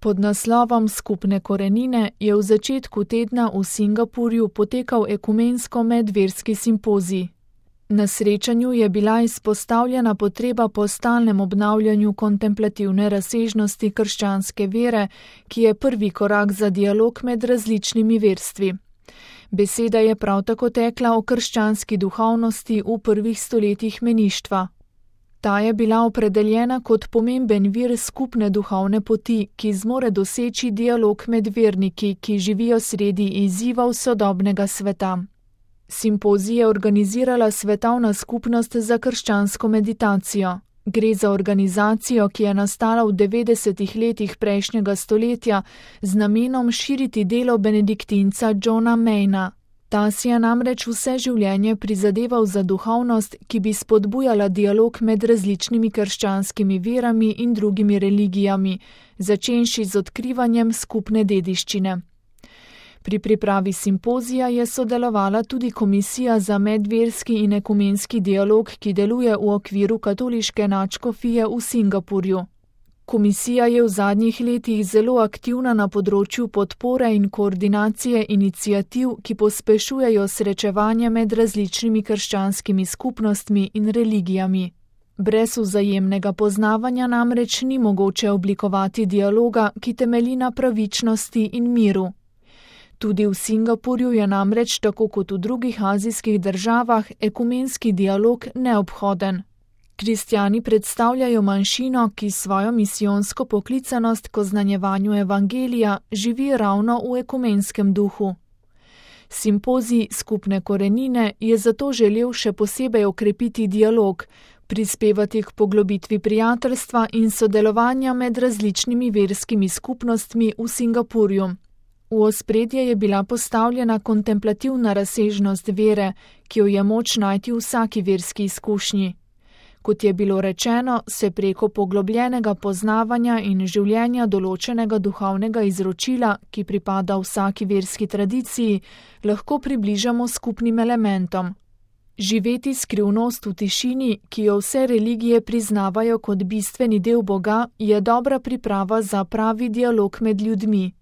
Pod naslovom Skupne korenine je v začetku tedna v Singapurju potekal ekumensko medverski simpozij. Na srečanju je bila izpostavljena potreba po stalnem obnavljanju kontemplativne razsežnosti krščanske vere, ki je prvi korak za dialog med različnimi verstvi. Beseda je prav tako tekla o krščanski duhovnosti v prvih stoletjih meništva. Ta je bila opredeljena kot pomemben vir skupne duhovne poti, ki zmore doseči dialog med verniki, ki živijo sredi izzivov sodobnega sveta. Simpozij je organizirala Svetovna skupnost za krščansko meditacijo. Gre za organizacijo, ki je nastala v 90. letih prejšnjega stoletja z namenom širiti delo benediktinca Johna Mayna. Ta si je namreč vse življenje prizadeval za duhovnost, ki bi spodbujala dialog med različnimi krščanskimi verami in drugimi religijami, začenši z odkrivanjem skupne dediščine. Pri pripravi simpozija je sodelovala tudi Komisija za medverski in ekumenski dialog, ki deluje v okviru katoliške nadškofije v Singapurju. Komisija je v zadnjih letih zelo aktivna na področju podpore in koordinacije iniciativ, ki pospešujejo srečevanje med različnimi krščanskimi skupnostmi in religijami. Brez vzajemnega poznavanja namreč ni mogoče oblikovati dialoga, ki temelji na pravičnosti in miru. Tudi v Singapurju je namreč, tako kot v drugih azijskih državah, ekumenski dialog neobhoden. Kristjani predstavljajo manjšino, ki svojo misijonsko poklicanost k oznanjevanju evangelija živi ravno v ekumenskem duhu. Simpozij Skupne korenine je zato želel še posebej okrepiti dialog, prispevati k poglobitvi prijateljstva in sodelovanja med različnimi verskimi skupnostmi v Singapurju. V ospredje je bila postavljena kontemplativna razsežnost vere, ki jo je moč najti v vsaki verski izkušnji. Kot je bilo rečeno, se preko poglobljenega poznavanja in življenja določenega duhovnega izročila, ki pripada vsaki verski tradiciji, lahko približamo skupnim elementom. Živeti skrivnost v tišini, ki jo vse religije priznavajo kot bistveni del Boga, je dobra priprava za pravi dialog med ljudmi.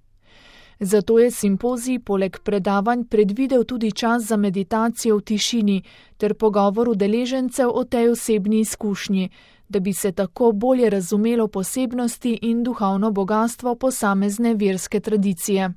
Zato je simpozij poleg predavanj predvidel tudi čas za meditacijo v tišini ter pogovor udeležencev o tej osebni izkušnji, da bi se tako bolje razumelo posebnosti in duhovno bogastvo posamezne verske tradicije.